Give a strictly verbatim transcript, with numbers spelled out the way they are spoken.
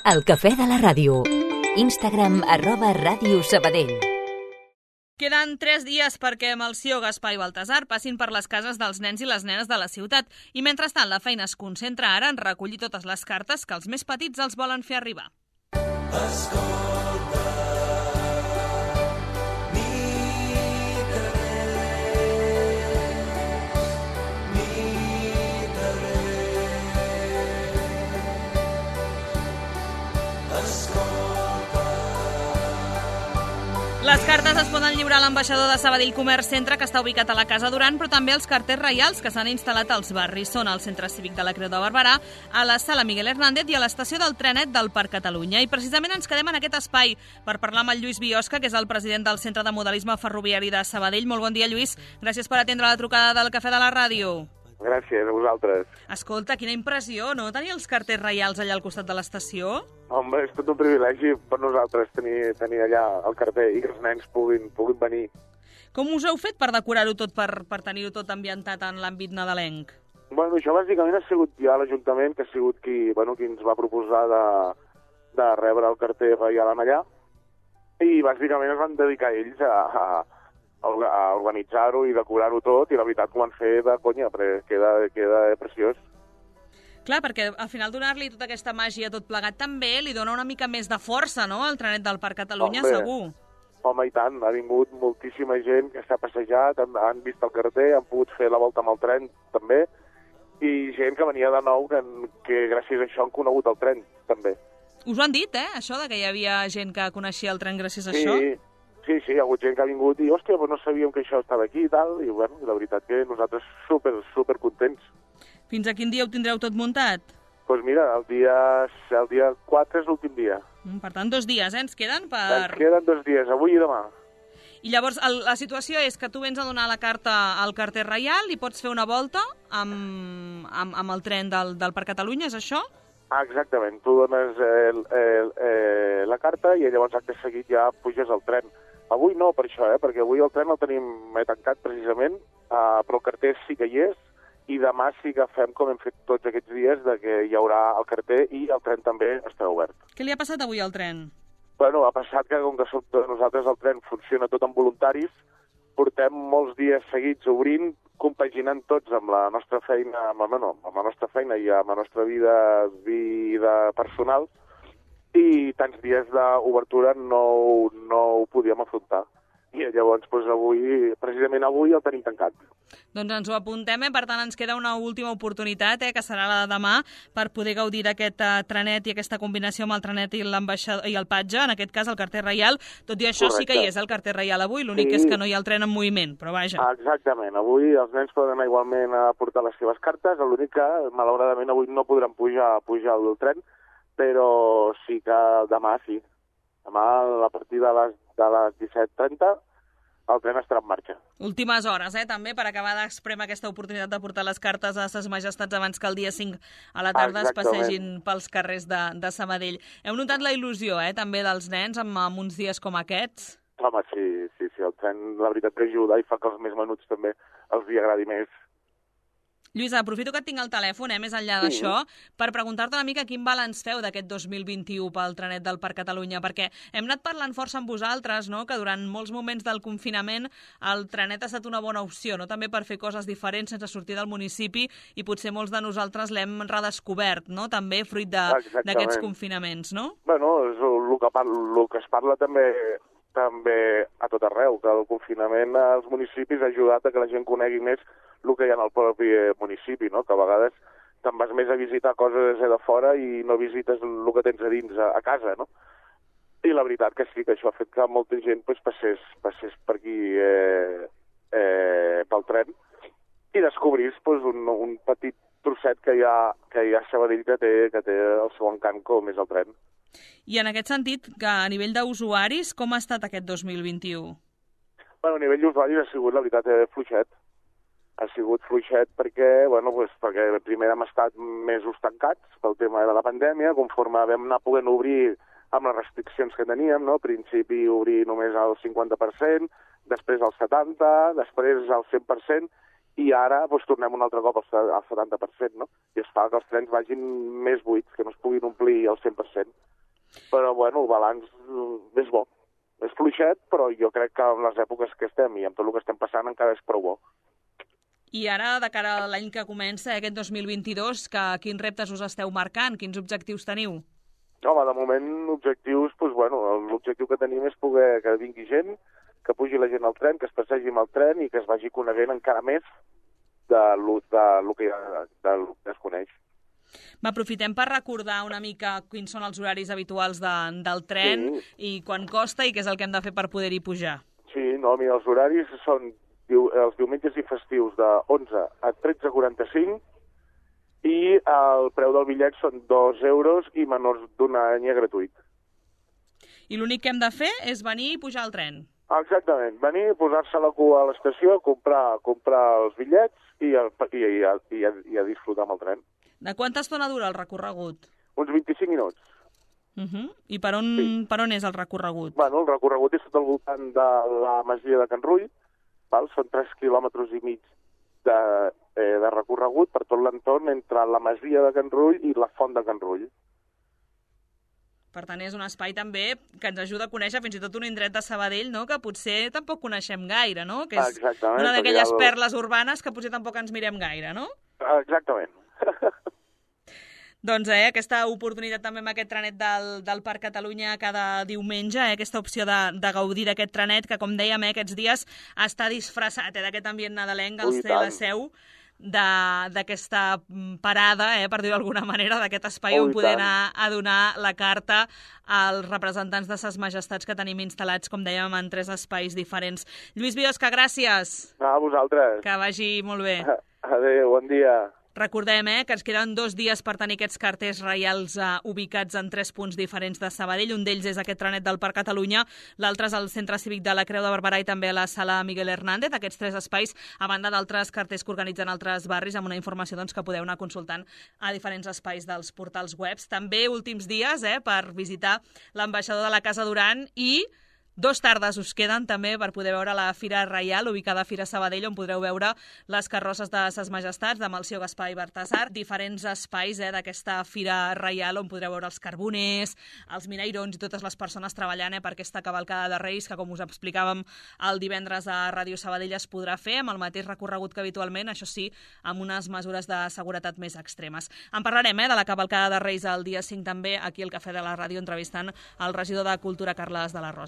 El cafè de la ràdio. Instagram arroba Ràdio Sabadell. Queden tres dies perquè Melcior, Gaspar i Baltasar passin per les cases dels nens i les nenes de la ciutat i mentrestant la feina es concentra ara en recollir totes les cartes que els més petits els volen fer arribar. Escolta, Les cartes es poden lliurar a l'ambaixador de Sabadell Comerç Centre, que està ubicat a la Casa Duran, però també els carters reials que s'han instal·lat als barris. Són al Centre Cívic de la Creu de Barberà, a la Sala Miguel Hernández i a l'estació del trenet del Parc Catalunya. I precisament ens quedem en aquest espai per parlar amb el Lluís Biosca, que és el president del Centre de Modelisme Ferroviari de Sabadell. Molt bon dia, Lluís. Gràcies per atendre la trucada del Cafè de la Ràdio. Gràcies a vosaltres. Escolta, quina impressió, no? Tenir els carters reials allà al costat de l'estació? Home, és tot un privilegi per nosaltres tenir, tenir allà el carter i que els nens puguin, puguin venir. Com us heu fet per decorar-ho tot, per, per tenir-ho tot ambientat en l'àmbit nadalenc? Bueno, això bàsicament ha sigut ja l'Ajuntament, que ha sigut qui, bueno, qui ens va proposar de, de rebre el carter reial allà, i bàsicament es van dedicar ells a, a, a organitzar-ho i decorar-ho tot, i la veritat que ho van fer de conya, perquè queda, queda preciós. Clar, perquè al final donar-li tota aquesta màgia tot plegat també li dona una mica més de força, no?, al trenet del Parc Catalunya, home, segur. Home, i tant. Ha vingut moltíssima gent que s'ha passejat, han, han vist el carter, han pogut fer la volta amb el tren, també, i gent que venia de nou, que, que gràcies a això han conegut el tren, també. Us ho han dit, eh, això, de que hi havia gent que coneixia el tren gràcies a sí, això? Sí, sí, hi ha hagut gent que ha vingut i, hòstia, pues no sabíem que això estava aquí i tal, i bueno, la veritat que nosaltres super, super contents. Fins a quin dia ho tindreu tot muntat? Doncs pues mira, el dia, el dia quatre és l'últim dia. Mm, per tant, dos dies, eh, ens queden per... Ens queden dos dies, avui i demà. I llavors el, la situació és que tu vens a donar la carta al carter reial i pots fer una volta amb, amb, amb el tren del, del Parc Catalunya, és això? Ah, exactament. Tu dones el, el, el, la carta i llavors acte seguit ja puges al tren. Avui no, per això, eh, perquè avui el tren el tenim tancat precisament, uh, però el carter sí que hi és, i demà sí que fem com hem fet tots aquests dies, de que hi haurà el carter i el tren també estarà obert. Què li ha passat avui al tren? Bueno, ha passat que com que som nosaltres el tren funciona tot amb voluntaris, portem molts dies seguits obrint, compaginant tots amb la nostra feina, amb, no, amb la nostra feina i amb la nostra vida, vida personal, i tants dies d'obertura no, no ho podíem afrontar. I llavors, doncs, avui, precisament avui, el tenim tancat. Doncs ens ho apuntem, eh? Per tant, ens queda una última oportunitat, eh? Que serà la de demà, per poder gaudir d'aquest uh, trenet i aquesta combinació amb el trenet i l'ambaixador i el patge, en aquest cas el carter reial. Tot i això, correcte, sí que hi és el carter reial avui, l'únic sí. És que no hi ha el tren en moviment, però vaja. Ah, exactament, avui els nens poden anar igualment a portar les seves cartes, l'únic que, malauradament, avui no podran pujar, pujar al tren, però sí que demà sí. Demà, a partir de les, de les disset trenta, el tren estarà en marxa. Últimes hores, eh, també, per acabar d'expremar aquesta oportunitat de portar les cartes a ses majestats abans que el dia cinc a la tarda es passegin pels carrers de, de Sabadell. Heu notat la il·lusió, eh, també, dels nens amb, amb uns dies com aquests? Home, sí, sí, sí, el tren, la veritat que ajuda i fa que els més menuts també els hi agradi més. Lluís, aprofito que et tinc al telèfon, eh, més enllà d'això, sí. per preguntar-te una mica quin balanç feu d'aquest dos mil vint-i-u pel trenet del Parc Catalunya, perquè hem anat parlant força amb vosaltres, no?, que durant molts moments del confinament el trenet ha estat una bona opció, no?, també per fer coses diferents sense sortir del municipi, i potser molts de nosaltres l'hem redescobert, no?, també fruit d'aquests confinaments, no? Bueno, és el que, parla, el que es parla també també a tot arreu, que el confinament als municipis ha ajudat a que la gent conegui més el que hi ha en el propi municipi, no? Que a vegades te'n vas més a visitar coses de fora i no visites el que tens a dins a, a casa, no? I la veritat que sí, que això ha fet que molta gent pues, passés, passés per aquí eh, eh, pel tren i descobrís pues, un, un petit trosset que hi ha, que hi ha a Sabadell que té, que té el seu encant com és el tren. I en aquest sentit, que a nivell d'usuaris, com ha estat aquest dos mil vint-i-u? Bueno, a nivell d'usuaris ha sigut, la veritat, eh, fluixet. Ha sigut fluixet perquè, bueno, pues, perquè primer hem estat mesos tancats pel tema de la pandèmia, conforme vam anar podent obrir amb les restriccions que teníem, no? Al principi obrir només al cinquanta per cent, després al setanta per cent, després al cent per cent, i ara doncs, tornem un altre cop al setanta per cent, no? I es fa que els trens vagin més buits, que no es puguin omplir al cent per cent. Però, bueno, el balanç és bo. És fluixet, però jo crec que en les èpoques que estem i amb tot el que estem passant encara és prou bo. I ara, de cara a l'any que comença, aquest dos mil vint-i-dos, que, quins reptes us esteu marcant? Quins objectius teniu? Home, de moment, objectius, doncs, bueno, l'objectiu que tenim és poder que vingui gent, que pugi la gent al tren, que es passegi amb el tren i que es vagi coneguent encara més de lo, de lo que, de lo que es coneix. Aprofitem per recordar una mica quins són els horaris habituals de, del tren sí. i quan costa i què és el que hem de fer per poder-hi pujar. Sí, no, mira, els horaris són diu, els diumenges i festius de onze a tretze quaranta-cinc i el preu del bitllet són dos euros i menors d'un any gratuït. I l'únic que hem de fer és venir i pujar al tren. Exactament, venir, posar-se a la cua a l'estació, comprar, comprar els bitllets i, el, i, i, i, a, i a disfrutar amb el tren. De quanta estona dura el recorregut? Uns vint-i-cinc minuts. Uh -huh. I per on, sí. per on és el recorregut? Bueno, el recorregut és tot al voltant de la masia de Can Rull, val? Són tres quilòmetres i mig de, eh, de recorregut per tot l'entorn entre la masia de Can Rull i la font de Can Rull. Per tant, és un espai també que ens ajuda a conèixer fins i tot un indret de Sabadell, no?, que potser tampoc coneixem gaire, no? Que és Exactament, una d'aquelles el... perles urbanes que potser tampoc ens mirem gaire, no? Exactament. Doncs eh, aquesta oportunitat també amb aquest trenet del, del Parc Catalunya cada diumenge, eh, aquesta opció de, de gaudir d'aquest trenet que, com dèiem, eh, aquests dies està disfressat eh, d'aquest ambient nadalenc al C L seu, d'aquesta parada, eh, per dir-ho d'alguna manera, d'aquest espai oh, on poder anar a donar la carta als representants de ses majestats que tenim instal·lats, com dèiem, en tres espais diferents. Lluís Biosca, gràcies. A vosaltres. Que vagi molt bé. Adéu, bon dia. Recordem eh, que ens queden dos dies per tenir aquests carters reials eh, ubicats en tres punts diferents de Sabadell. Un d'ells és aquest trenet del Parc Catalunya, l'altre és el Centre Cívic de la Creu de Barberà i també a la Sala Miguel Hernández. Aquests tres espais, a banda d'altres carters que organitzen altres barris, amb una informació doncs, que podeu anar consultant a diferents espais dels portals webs. També últims dies eh, per visitar l'ambaixador de la Casa Duran i dos tardes us queden també per poder veure la Fira Reial, ubicada a Fira Sabadell, on podreu veure les carrosses de ses majestats, de Melcior, Gaspar i Baltasar, diferents espais eh, d'aquesta Fira Reial on podreu veure els carboners, els minairons i totes les persones treballant eh, per aquesta cavalcada de Reis, que com us explicàvem el divendres a Ràdio Sabadell es podrà fer amb el mateix recorregut que habitualment, això sí, amb unes mesures de seguretat més extremes. En parlarem eh, de la cavalcada de Reis el dia cinc també aquí al Cafè de la Ràdio, entrevistant el regidor de Cultura, Carles de la Rosa.